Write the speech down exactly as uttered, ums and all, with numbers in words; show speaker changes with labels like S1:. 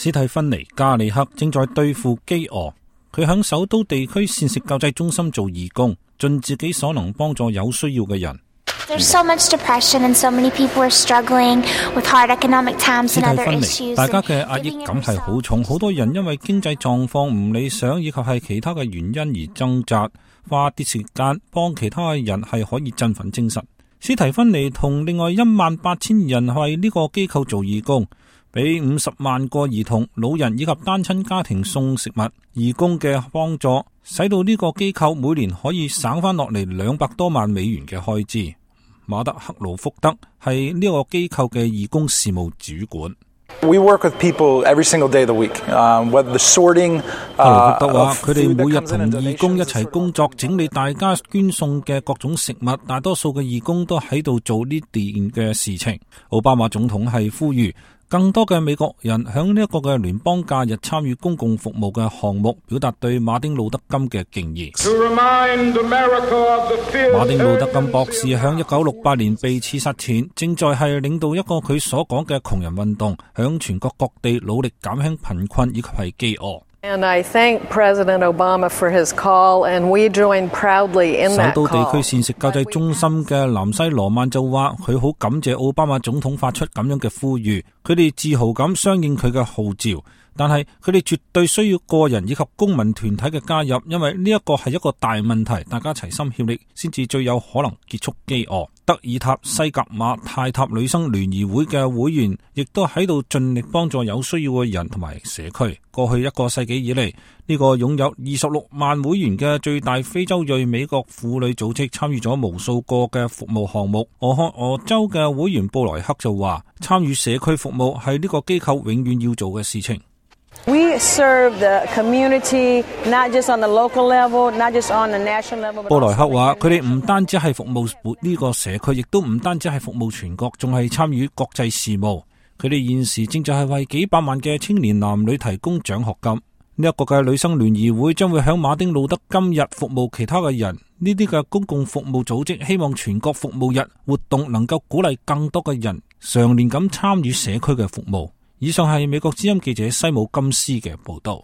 S1: 史蒂芬妮加里克正在對付飢餓，佢響首都地區膳食救濟中心做義工，盡自己所能幫助有需要嘅人。
S2: There's so much depression and so many people are struggling with hard economic times and other issues.
S1: 大家嘅壓抑感係好重，好多人因為經濟狀況唔理想以及係其他嘅原因而掙扎，花啲時間幫其他嘅人係可以振奮精神。史蒂芬妮同另外一萬八千人為呢個機構做義工，俾五十萬個兒童、老人以及單親家庭送食物。義工嘅幫助使到呢個機構每年可以省翻落嚟兩百多萬美元嘅開支。馬德克魯福德係呢個機構嘅義工事務主管。
S3: We work with people every single day of the week. Um, whether the sorting,
S1: 克魯福德話，佢哋每日同義工一齊工作，整理大家捐送嘅各種食物。大多數嘅義工都喺度做呢啲嘅事情。奧巴馬總統係呼籲更多嘅美國人響呢一個嘅聯邦假日參與公共服務嘅項目，表達對馬丁路德金嘅敬意。馬丁路德金博士響一九六八年被刺殺前，正在係領導一個佢所講嘅窮人運動，響全國各地努力減輕貧困以及係飢餓。
S4: And I thank President Obama for his call, and we join proudly in that call. 首都地區膳食救濟中心嘅南西羅曼就話，佢好感謝奧巴馬總統發出咁樣嘅呼籲，佢哋自豪咁相應佢嘅號召。但係佢哋絕對需要個人以及公民團體嘅加入，因為呢一個係一個大問題，大家齊心協力先至最有可能結束飢餓。德爾塔西格瑪泰塔女生聯誼會嘅會員亦都喺度盡力幫助有需要嘅人同埋社區。過去一個世紀以嚟，呢、這個擁有二十六萬會員嘅最大非洲裔美國婦女組織參與咗無數個嘅服務項目。俄亥俄州嘅會員布萊克就話，參與社區服務係呢個機構永遠要做嘅事情。We serve the community, not just on the local level, not just on the national level.
S1: 布萊克話，佢哋唔單止係服務呢個社區，亦都唔單止係服務全國，仲係參與國際事務。佢哋現時正在係為幾百萬嘅青年男女提供獎學金。呢一個嘅女生聯誼會將會響馬丁路德金日服務其他嘅人。呢啲嘅公共服務組織希望全國服務日活動能夠鼓勵更多嘅人常年咁參與社區嘅服務。以上係美國之音記者西姆金斯嘅報道。